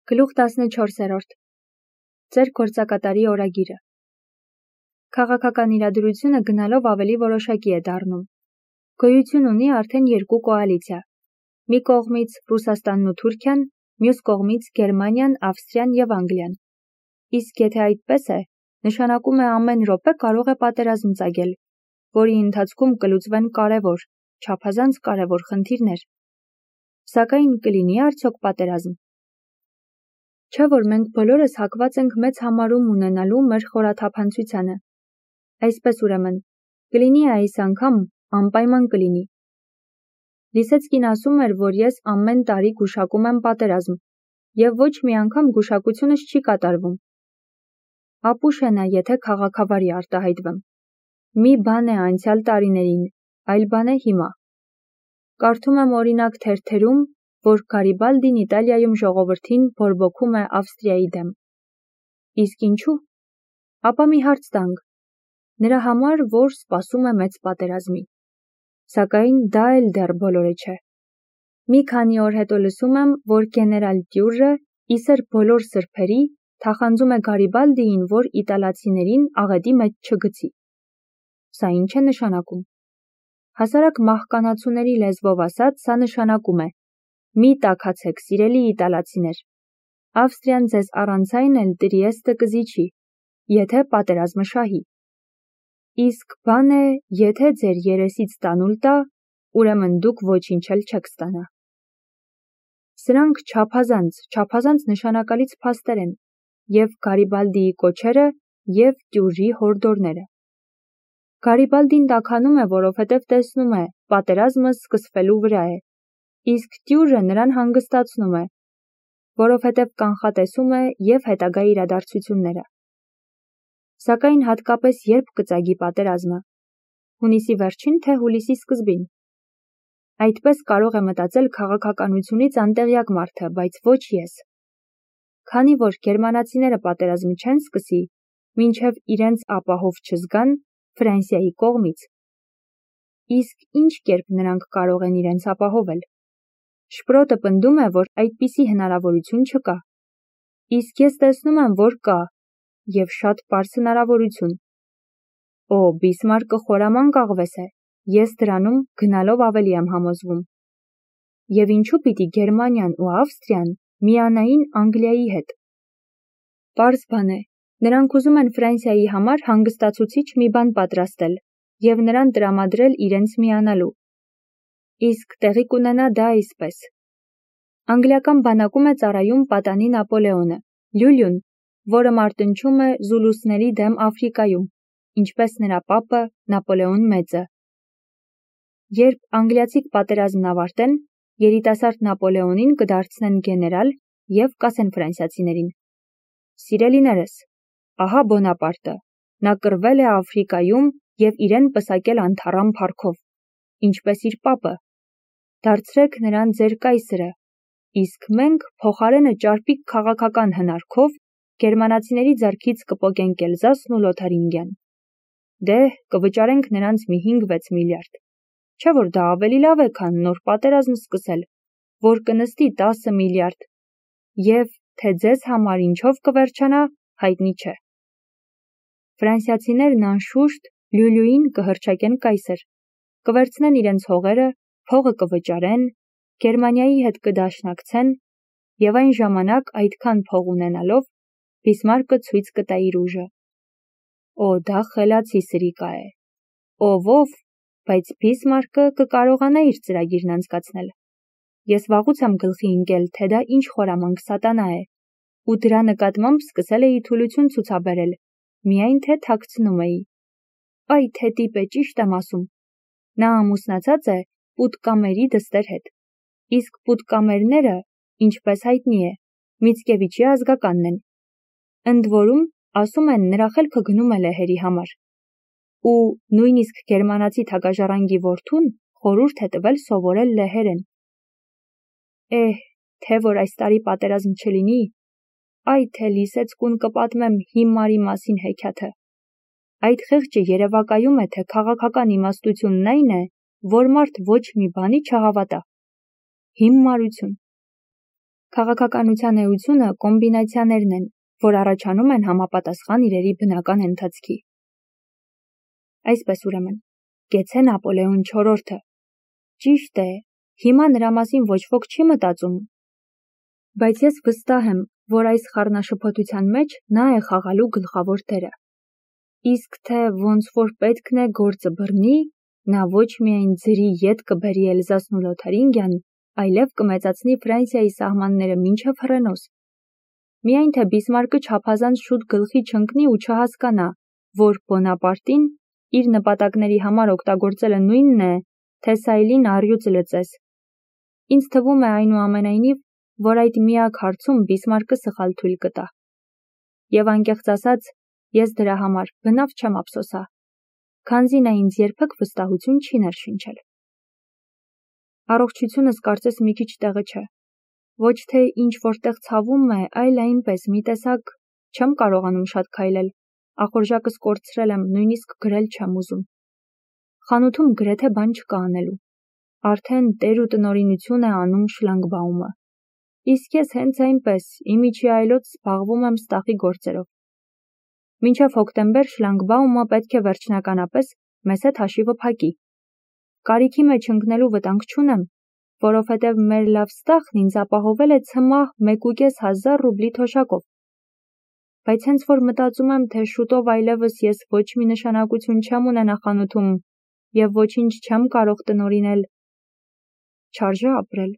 Գլուխ 14-րդ Ձեր գործակատարի օրագիրը Քաղաքական իրադրությունը գնալով ավելի որոշակի է դառնում։ Գոյություն ունի արդեն երկու կոալիցիա։ Մի կողմից Ռուսաստանն ու Թուրքիան, մյուս կողմից Գերմանիան, Ավստրիան և Անգլիան։ Իսկ եթե այդպես է, նշանակում է ամեն րոպե կարող է պատերազմ ծագել, որի ընթացքում կլուծվեն կարևոր, չափազանց կարևոր խնդիրներ։ Սակայն կլինի արդյոք պատերազմ։ Չէ՞ որ մենք բոլորս հակված ենք մեծ համարում ունենալու մեր խորաթափանցությանը։ Այսպես ուրեմն, կլինի այս անգամ, անպայման կլինի։ Լիսեցկին ասում էր, որ ես ամեն տարի գուշակում եմ պատերազմ, և ոչ մի անգամ գուշակությունս չի կատարվում։ Ապուշ է նա, եթե քաղաքավարի արտահայտվեմ։ Մի բան է անցյալ տարիներին, այլ բան է հիմա։ Կարդում եմ օրինակ թերթերում, որ Գարիբալդին Իտալիայում ժողովրդին բորբոքում է Ավստրիայի դեմ։ Իսկ ինչու՞։ Ապա մի հարց տանք։ Նրա համար, որ սպասում է մեծ պատերազմի։ Սակայն դա էլ դեռ բոլորը չէ։ Մի քանի օր հետո լսում եմ, որ գեներալ Դյուրը, իսեր բոլոր սրբերի, թախանձում է Գարիբալդիին, որ իտալացիներին աղետի մեջ չգցի։ Սա ինչ է նշանակում։ Հասարակ մահկանացուների լեզվով ասած, սա նշանակում է. մի տաքացեք, սիրելի իտալացիներ։ Ավստրիան ձեզ առանց այն էլ Տրիեստը կզիջի, եթե պատերազմը շահի։ Իսկ բան է, եթե ձեր երեսից տանուլ տա, ուրեմն դուք ոչինչ էլ չեք ստանա։ Սրանք չափազանց նշանակալից փաստեր են, և Գարիբալդիի կոչերը, և Դյուրի հորդորները։ Գարիբալդին տաքանում է, որովհետև տեսնում է, պատերազմը սկսվելու վրա է, իսկ Դյուրը նրան հանգստացնում է, որովհետև կանխատեսում է և հետագա իրադարձությունները։ Սակայն հատկապես երբ կծագի պատերազմը։ Հունիսի վերջին, թե հուլիսի սկզբին։ Այդպես կարող է մտածել քաղաքականությունից անտեղյակ մարդը, բայց ոչ ես։ Քանի որ գերմանացիները պատերազմը չեն սկսի, մինչև իրենց ապահով չզգան Ֆրանսիայի կողմից։ Իսկ ինչ կերպ նրանք կարող են իրենց ապահովել։ Շպրոտը պնդում է, որ այդպիսի հնարավորություն չկա։ Իսկ ես տեսնում եմ, որ կա, և շատ պարզ հնարավորություն։ Օ, Բիսմարկը խորամանկ աղվես է, ես դրանում գնալով ավելի եմ համոզվում։ Եվ ինչու պիտի Գերմանիան ու Ավստրիան միանային Անգլիայի հետ։ Պարզ բան է, նրանք ուզում են Ֆրանսիայի համար հանգստացուցիչ մի բան պատրաստել և նրան տրամադրել իրենց միանալու։ Իսկ տեղի կունենա դա այսպես. անգլիական բանակում է ծառայում պատանի Նապոլեոնը, Լյուլյուն, որը մարտնչում է զուլուսների դեմ Աֆրիկայում, ինչպես նրա պապը Նապոլեոն Մեծը։ Երբ անգլիացիք պատերազմն ավարտեն, երիտասարդ Նապոլեոնին կդարձնեն գեներալ և կասեն ֆրանսիացիներին. Սիրելիներս, ահա Բոնապարտը, նա կռվել է Աֆրիկայում և իրեն պսակել անթառամ փառքով, ինչպես իր պապը։ Դարձրեք նրան ձեր կայսրը, իսկ մենք փոխարենը ճարպիկ քաղաքական հնարքով գերմանացիների ձեռքից կպոկենք Էլզասն ու Լոթարինգիան։ Դե, կվճարենք նրանց մի 5-6 միլիարդ։ Չէ՞ որ դա ավելի լավ է, քան նոր պատերազմ սկսել, որ կնստի 10 միլիարդ, և թե ձեզ համար ինչով կվերջանա, հայտնի չէ։ Ֆրանսիացիներն անշուշտ Լյուլյուին կհռչակեն կայսր, կվերցնեն իրենց հողերը, փողը կվճարեն, Գերմանիայի հետ կդաշնակցեն, և այն ժամանակ այդքան փող ունենալով, Բիսմարկը ցույց կտա իր ուժը։ Օ, դա խելացի սրիկա է։ Ով, բայց Բիսմարկը կկարողանա իր ծրագիրն անցկացնել։ Ես վաղուց եմ գլխի ընկել, թե դա ինչ խորամանկ սատանա է, ու դրա նկատմամբ սկսել էի թուլություն ցուցաբերել, միայն թե թաքցնում էի։ Այ թե տիպ է, ճիշտ եմ ասում։ Նա ամուսնացած է Պուտկամերի դստեր հետ, իսկ Պուտկամերները, ինչպես հայտնի է, Միցկևիչի ազգականն են։ Ընդ որում, ասում են, նրա խելքը գնում է լեհերի համար։ Ու նույնիսկ գերմանացի թագաժառանգի որդուն խորհուրդ է տվել սովորել լեհերեն։ Թե որ այս տարի պատերազմ չլինի, այ թե Լիսեցկուն կպատմեմ հիմարի մասին հեքիաթը։ Այդ խեղճը երևակայում է, թե քաղաքական իմաստությունն այն է, որ մարդ ոչ մի բանի չհավատա։ Հիմարություն։ Քաղաքականության էությունը կոմբինացիաներն են, որ առաջանում են համապատասխան իրերի բնական ընթացքի։ Այսպես ուրեմն, գեցե Նապոլեոն IV-ը։ Ճիշտ է, հիմա նրա մասին ոչ ոք չի մտածում, բայց ես վստահ եմ, որ այս խառնաշփոթության մեջ նա է խաղալու գլխավոր դերը։ Իսկ թե ոնց որ պետքն է գործը բռնի, նա ոչ միայն ձրի ետ կբերի Էլզասն ու Լոթարինգիան, այլև կմեծացնի Ֆրանսիայի սահմանները մինչև Հռենոս։ Միայն թե Բիսմարկը չափազանց շուտ գլխի չընկնի ու չհասկանա, որ Բոնապարտին իր նպատակների համար օգտագործելը նույնն է, թե Սայլին առյուծ լծես։ Ինձ թվում է այնուամենայնիվ, որ այդ միակ հարցում Բիսմարկը սխալ թույլ կտա։ Եվ անկեղծ ասած, ես դրա համար բնավ չեմ ափսոսա, քանզի նա ինձ երբեք վստահություն չի ներշնչել։ Առողջությունս կարծես մի քիչ տեղը չէ։ Ոչ թե ինչ որտեղ ցավում է, այլ այնպես մի տեսակ չեմ կարողանում շատ քայլել, ախորժակս կորցրել եմ, նույնիսկ գրել չեմ ուզում։ Խանութում գրեթե բան չկա անելու։ Արդեն տեր ու տնօրինություն է անում շլանգբաումը։ Իսկ ես հենց այնպես իմիջի այլոց զբաղվում եմ ստախի գործերով։ Մինչև հոկտեմբեր շլանգբաումը պետք է վերջնականապես մեզ հետ հաշիվը փակի։ Կարիքի մեջ ընկնելու վտանգ չունեմ, որովհետև մեր լավ ստախն ինձ ապահովել է ցմահ 1,500 ռուբլի թոշակով։ Բայց հենց որ մտածում եմ, թե շուտով այլևս ես ոչ մի նշանակություն չեմ ունենա խանութում և ոչինչ չեմ կարող տնօրինել, չարժե ապրել։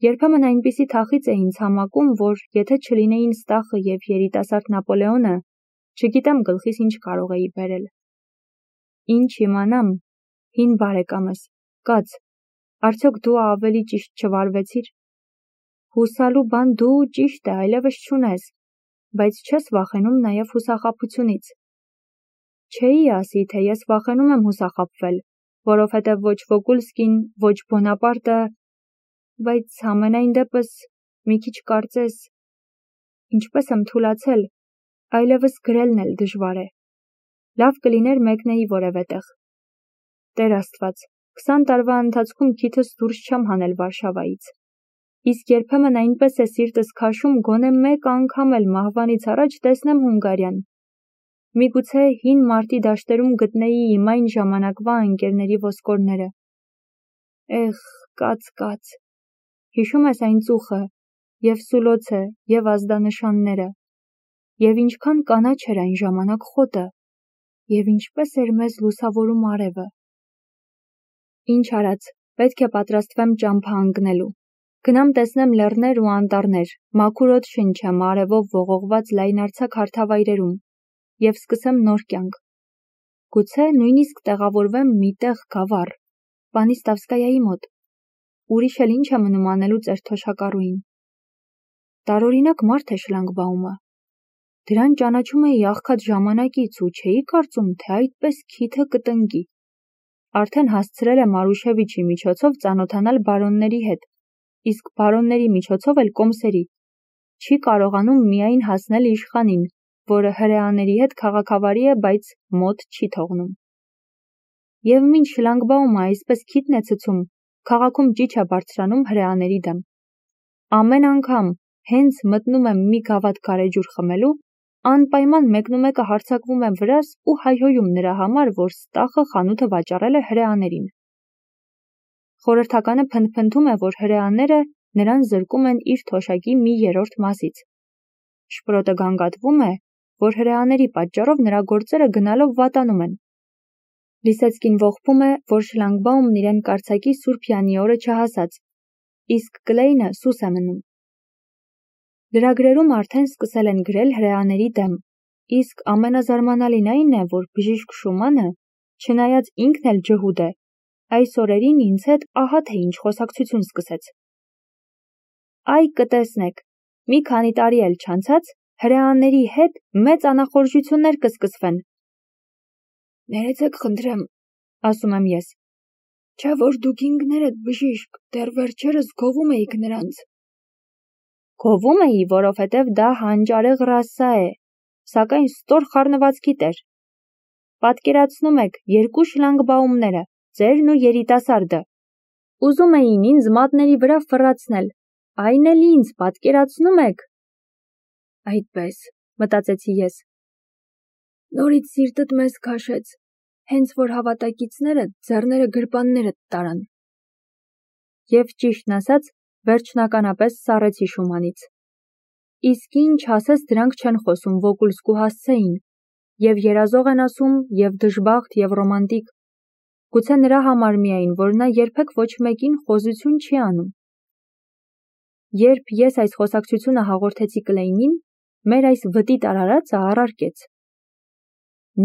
Երբեմն այնպիսի թախիծ է ինձ համակում, որ եթե չլինեին ստախը և երիտասարդ Նապոլեոնը, չգիտեմ գլխիս ինչ կարող էի բերել։ Ինչ իմանամ, հին բարեկամս, կաց, արդյոք դու ավելի ճիշտ չվարվեցիր։ Հուսալու բան դու ճիշտ է, այլևս չունես, բայց չես վախենում նաև հուսախաբությունից։ Չէի ասի, թե ես վախենում եմ հուսախաբվել, որովհետև ոչ Վոգուլսկին, ոչ Բոնապարտը, բայց համենայն դեպս մի քիչ կարծես, ինչպես եմ թուլացել, այլևս գրելն էլ դժվար է։ Լավ կլիներ մեկնեի որևէ տեղ։ Տեր Աստված, 20 տարվա ընթացքում քիթս դուրս չեմ հանել Վարշավայից։ Իսկ երբեմն այնպես է սիրտս քաշում գոնե մեկ անգամ էլ մահվանից առաջ տեսնեմ Հունգարիան։ Միգուցե հին մարտի դաշտերում գտնեի իմ այն ժամանակվա ընկերների ոսկորները։ Էխ, կաց։ Հիշում ես այն ծուխը, և Սուլոցը, և ազդանշանները, և ինչքան կանաչ էր այն ժամանակ խոտը, և ինչպես էր մեզ լուսավորում արևը։ Ինչ արած, պետք է պատրաստվեմ ճամփա ընկնելու։ Գնամ տեսնեմ լեռներ ու անտառներ, մաքուր օդ շնչեմ արևով ողողված լայնարձակ հարթավայրերում և սկսեմ նոր կյանք։ Գուցե նույնիսկ տեղավորվեմ մի տեղ գավառ, Պանիստավսկայայի մոտ։ Ուրիշ էլ ինչ է մնում անելու ծեր թոշակառուին։ Տարօրինակ մարդ է շլանգբաումը։ Դրան ճանաչում էի աղքատ ժամանակից ու չէի կարծում, թե այդպես քիթը կտնկի։ Արդեն հասցրել է Մարուշևիչի միջոցով ծանոթանալ բարոնների հետ, իսկ բարոնների միջոցով էլ կոմսերի։ Չի կարողանում միայն հասնել իշխանին, որը հրեաների հետ քաղաքավարի է, բայց մոտ չի թողնում։ Եվ մինչ շլանգբաումը այսպես քիթն է ցցում, քաղաքում ճիչ է բարձրանում հրեաների դեմ։ Ամեն անգամ, հենց մտնում եմ մի գավաթ գարեջուր խմելու, անպայման մեկնումեկը հարձակվում է վրաս ու հայհոյում նրա համար, որ ստախը խանութը վաճառել է հրեաներին։ Խորհրդականը փնթփնթում է, որ հրեաները նրան զրկում են իր թոշակի մի երրորդ մասից։ Շպրոտը գանգատվում է, որ հրեաների պատճառով նրա գործերը գնալով վատանում են։ Լիսեցկին ողբում է, որ շլանգբաումն իրեն կարձակի Սուրբ Յանի օրը չհասած, իսկ Կլեյնը սուս է մնում։ Լրագրերում արդեն սկսել են գրել հրեաների դեմ, իսկ ամենազարմանալին այն է, որ բժիշկ Շումանը, չնայած ինքն էլ ջհուդ է, այս օրերին ինձ հետ ահա թե ինչ խոսակցություն սկսեց։ Այ կտեսնեք, մի քանի տարի էլ չանցած, հրեաների հետ մեծ անախորժություններ կսկսվեն։ Ներեցեք խնդրեմ, ասում եմ ես, չէ որ դուք ինքներդ բժիշկ, դեռ վերջերս գովում էիք նրանց։ Գովում էի, որովհետև դա հանճարեղ ռասա է, սակայն ստոր խառնվածքի տեր։ Պատկերացնում եք երկու շլանգբաումները, ձերն ու երիտասարդը։ Ուզում էին ինձ մատների վրա ֆռացնել, Այն էլ ինձ պատկերացնում եք։ Այդպես, մտածեցի ես։ Նորից սիրտդ մեզ քաշեց, հենց որ հավատակիցները ձեռները գրպանները տարան։ Եվ ճիշտն ասած, վերջնականապես սառեցի Շումանից։ Իսկ ինչ ասես դրանք չեն խոսում Վոկուլսկու հասցեին, եւ երազող են ասում, եւ դժբախտ, եւ ռոմանտիկ։ Գուցե նրա համար միայն, որ նա երբեք ոչ մեկին խոզություն չի անում։ Երբ ես այս խոսակցությունը հաղորդեցի Կլեյնին, մեր այս վտիտ արարածը առարկեց.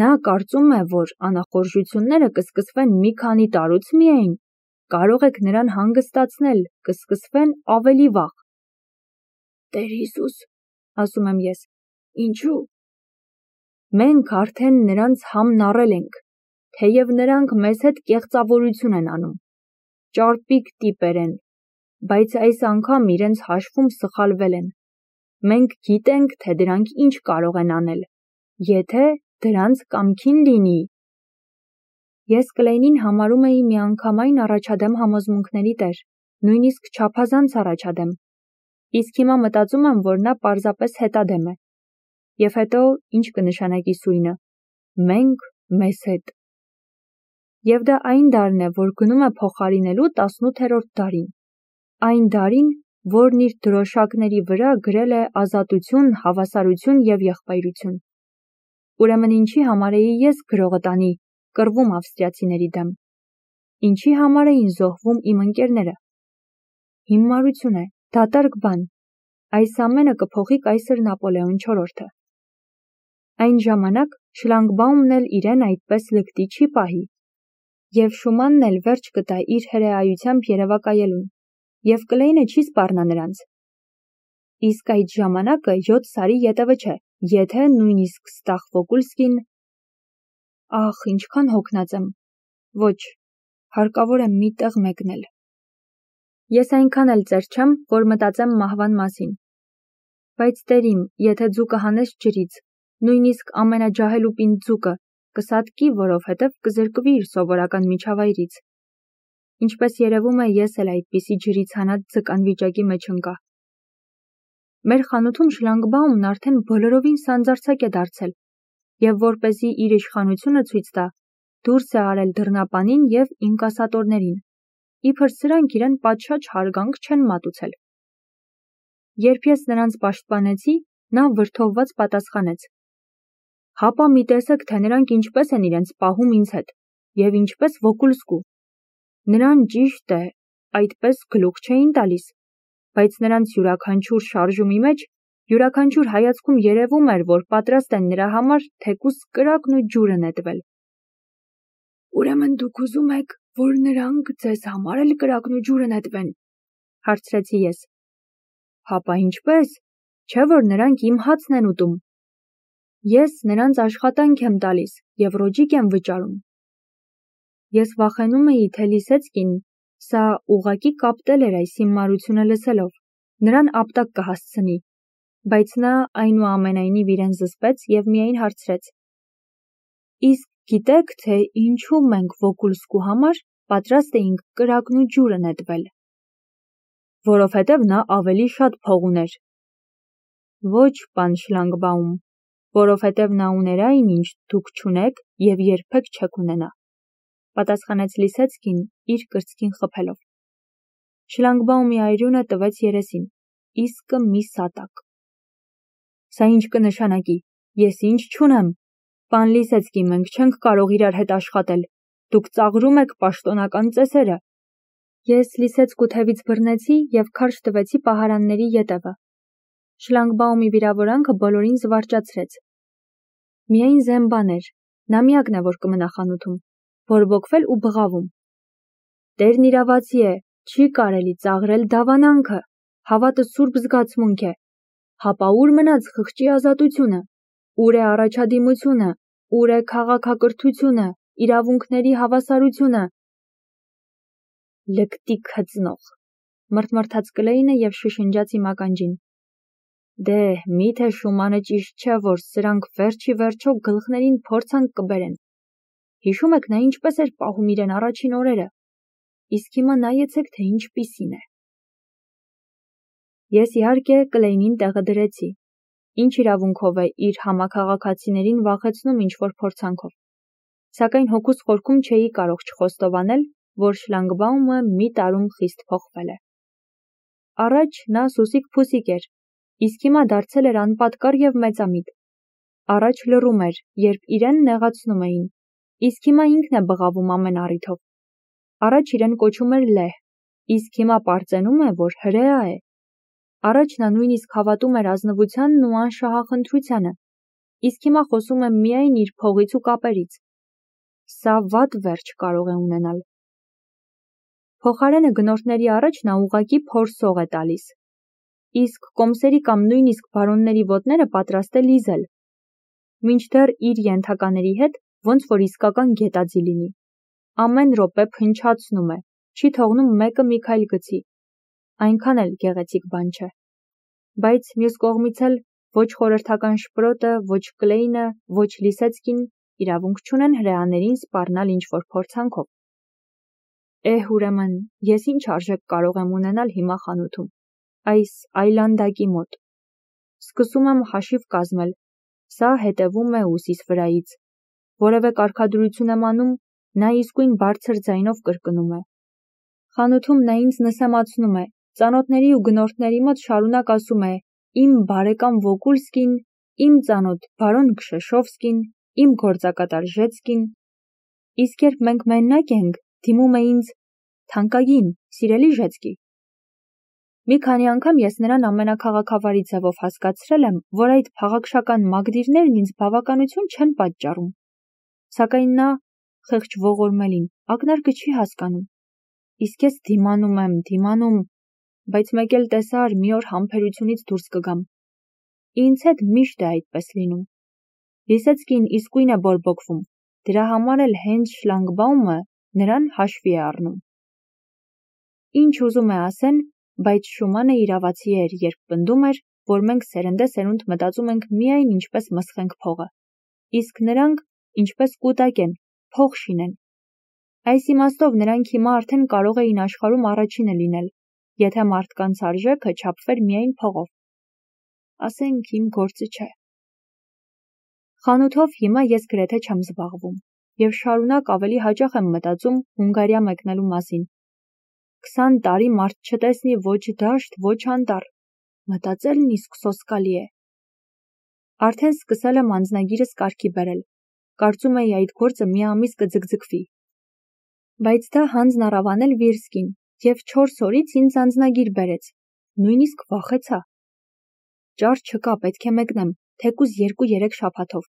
Նա կարծում է, որ անախորժությունները կսկսվեն մի քանի տարուց միայն, կարող եք նրան հանգստացնել, կսկսվեն ավելի վաղ։ Տեր Հիսուս, ասում եմ ես, ինչու՞։ Մենք արդեն նրանց համն առել ենք, թեև նրանք մեզ հետ կեղծավորություն են անում, ճարպիկ տիպեր են, բայց այս անգամ իրենց հաշվում սխալվել են։ Մենք գիտենք, թե դրանք ինչ կարող են անել, եթե դրանց կամքին լինի։ Ես Կլեյնին համարում էի միանգամայն առաջադեմ համոզմունքների տեր, նույնիսկ չափազանց առաջադեմ, իսկ հիմա մտածում եմ, որ նա պարզապես հետադեմ է։ Եվ հետո ինչ կնշանակի սույնը, մենք մեզ հետ։ Եվ դա այն դարն է, որ գնում է փոխարինելու 18-րդ դարին, այն դարին, որն իր դրոշակների վրա գրել է ազատություն, հավասարություն և եղբայրություն։ Ուրեմն ինչի համար էի ես գրողը տանի, կռվում ավստրիացիների դեմ։ Ինչի համար էին զոհվում իմ ընկերները։ Հիմարություն է, դատարկ բան։ Այս ամենը կփոխի կայսր Նապոլեոն IV-ը։ Այն ժամանակ Շլանգբաումն էլ իրեն այդպես լկտի չի պահի։ Եվ Շումանն էլ վերջ կտա իր հրեայությամբ երևակայելուն, և Կլեյնը չի սպառնա նրանց։ Իսկ այդ ժամանակը 7 սարի ետևը չէ, եթե նույնիսկ Ստախ Վոկուլսկին… Ախ, ինչքան հոգնած եմ։ Ոչ, հարկավոր է մի տեղ մեկնել։ Ես այնքան էլ ծեր չեմ, որ մտածեմ մահվան մասին։ Բայց տերիմ, եթե ձուկը հանես ջրից, նույնիսկ ամենաջահելուպին ձուկը, կսատկի, որովհետև կզրկվի իր սովորական միջավայրից։ Ինչպես երևում է, ես էլ այդպիսի ջրից հանած ձկան վիճակի մեջ ընկա։ Մեր խանութում Շլանգբաումն արդեն բոլորովին սանձարձակ է դարձել, և որպեսզի իր իշխանությունը ցույց տա, դուրս է արել դռնապանին և ինկասատորներին, իբր սրանք իրեն պատշաճ հարգանք չեն մատուցել։ Երբ ես նրանց պաշտպանեցի, նա վրդովված պատասխանեց. Հապա մի տեսեք, թե նրանք ինչպես են իրենց պահում ինձ հետ, և ինչպես Վոկուլսկու։ Նրան ճիշտ է, այդպես գլուխ չէին տալիս, բայց նրանց յուրաքանչյուր շարժումի մեջ, յուրաքանչյուր հայացքում երևում էր, որ պատրաստ են նրա համար թեկուզ կրակն ու ջուրը նետվել։ Ուրեմն դուք ուզում եք, որ նրանք ձեզ համար էլ կրակն ու ջուրը նետվեն, հարցրեցի ես։ Հապա ինչպես, չէ՞ որ նրանք իմ հացն են ուտում։ Ես նրանց աշխատանք եմ տալիս և ռոճիկ եմ վճարում։ Ես վախենում էի, թե Լիսեցկին, սա ուղղակի կապտել էր այս հիմարությունը լսելով, նրան ապտակ կհասցնի, բայց նա այնուամենայնիվ իրեն զսպեց և միայն հարցրեց. Իսկ գիտեք, թե ինչու մենք Վոկուլսկու համար պատրաստ էինք կրակն ու ջուրը նետվել։ Որովհետև նա ավելի շատ փող ուներ։ Ոչ, պան Շլանգբաում, որովհետև նա ուներ այն, ինչ դուք չունեք և երբեք չեք ունենա, պատասխանեց Լիսեցկին իր կրծքին խփելով։ Շլանգբաումի այրունը տվեց երեսին, իսկը մի սատակ։ Սա ինչ կնշանակի, ես ինչ չունեմ։ Պան Լիսեցկի, մենք չենք կարող իրար հետ աշխատել, դուք ծաղրում եք պաշտոնական ծեսերը։ Ես Լիսեցկու թևից բռնեցի և քարշ տվեցի պահարանների ետևը։ Շլանգբաումի վիրավորանքը բոլորին զվարճացրեց։ Միայն Զեմբան էր, նա միակն է, որ կմնա խանութում, բորբոքվել ու բղավում։ Տերն իրավացի է, չի կարելի ծաղրել դավանանքը, հավատը սուրբ զգացմունք է։ Հապա ուր մնաց խղճի ազատությունը, ուր է առաջադիմությունը, ուր է քաղաքակրթությունը, իրավունքների հավասարությունը։ Լկտի քծնող, մռթմռթաց Կլեյնը և շշնջաց իմ ականջին։ Դե, միթե Շումանը ճիշտ չէ, որ սրանք վերջի վերջո գլխներին փորձանք կբերեն։ Հիշում եք նա ինչպես էր պահում իրեն առաջին օրերը, իսկ հիմա նայեցեք, թե ինչպիսին է։ Ես իհարկե Կլեյնին տեղը դրեցի, ինչ իրավունքով է իր համաքաղաքացիներին վախեցնում ինչ-որ փորձանքով, սակայն հոգուս խորքում չէի կարող չխոստովանել, որ Շլանգբաումը մի տարում խիստ փոխվել է։ Առաջ նա սուսիկ-փուսիկ էր, իսկ հիմա դարձել էր անպատկառ և մեծամիտ։ Առաջ լռում էր, երբ իրեն նեղացնում էին, իսկ հիմա ինքն է բղավում ամեն առիթով։ Առաջ իրեն կոչում էր լեհ, իսկ հիմա պարծենում է, որ հրեա է։ Առաջ նա նույնիսկ հավատում էր ազնվությանն ու անշահախնդրությանը, իսկ հիմա խոսում է միայն իր փողից ու կապերից։ Սա վատ վերջ կարող է ունենալ։ Փոխարենը գնորդների առաջ նա ուղղակի փորսող է տալիս, իսկ կոմսերի կամ նույնիսկ բարոնների ոտները պատրաստ է լիզել, մինչդեռ իր ենթակաների հետ ոնց որ իսկական գետաձի լինի։ Ամեն րոպե փնչացնում է, չի թողնում մեկը մի քայլ գցի։ Այնքան էլ գեղեցիկ բան չէ։ Բայց մյուս կողմից էլ ոչ խորհրդական Շպրոտը, ոչ Կլեյնը, ոչ Լիսեցկին իրավունք չունեն հրեաներին սպառնալ ինչ-որ փորձանքով։ Ուրեմն, ես ինչ արժեք կարող եմ ունենալ հիմա խանութում, այս այլանդակի մոտ։ Սկսում եմ հաշիվ կազմել, սա հետևում է ուսիս վրայից։ Որևէ կարգադրություն եմ անում, նա իսկույն բարձր ձայնով կրկնում է։ Խանութում նա ինձ նսեմացնում է, ծանոթների ու գնորդների մոտ շարունակ ասում է. «Իմ բարեկամ Վոկուլսկին, իմ ծանոթ բարոն Քշեշովսկին, իմ գործակատար Ժեցկին»։ Իսկ երբ մենք մենակ ենք, դիմում է ինձ. «Թանկագին, սիրելի Ժեցկի»։ Մի քանի անգամ ես նրան ամենաքաղաքավարի ձևով հասկացրել եմ, որ այդ փաղաքշական մագդիրներն ինձ բավականություն չեն պատճառում։ Սակայն նա, խեղճ ողորմելին, ակնարկը չի հասկանում։ Իսկ ես դիմանում, բայց մեկ էլ տեսար, մի օր համբերությունից դուրս կգամ։ Ինձ հետ միշտ է այդպես լինում։ Լիսեցկին իսկույն է բորբոքվում, դրա համար էլ հենց Շլանգբաումը նրան հաշվի է առնում։ Ինչ ուզում է ասեն, բայց Շումանը իրավացի էր, երբ պնդում էր, որ մենք սերնդեսերունդ մտածում ենք միայն ինչպես մսխենք փողը, իսկ նրանք ինչպես կուտակեն, փող շինեն։ Այս իմաստով նրանք հիմա արդեն կարող էին աշխարհում առաջինը լինել, եթե մարդկանց արժեքը չափվեր միայն փողով։ Ասենք իմ գործը չէ։ Խանութով հիմա ես գրեթե չեմ զբաղվում, և շարունակ ավելի հաճախ եմ մտածում Հունգարիա մեկնելու մասին։ 20 տարի մարդ չտեսնի ոչ դաշտ, ոչ անտառ, մտածելն իսկ սոսկալի է։ Արդեն սկսել եմ անձնագիրս կարգի բերել, կարծում էի այդ գործը մի ամիս կձգձգվի։ Բայց դա հանձն առավ անել Վիրսկին, և 4 օրից ինձ անձնագիր բերեց, նույնիսկ վախեցա։ Ճար չկա, պետք է մեկնեմ, թեկուզ 2-3 շաբաթով։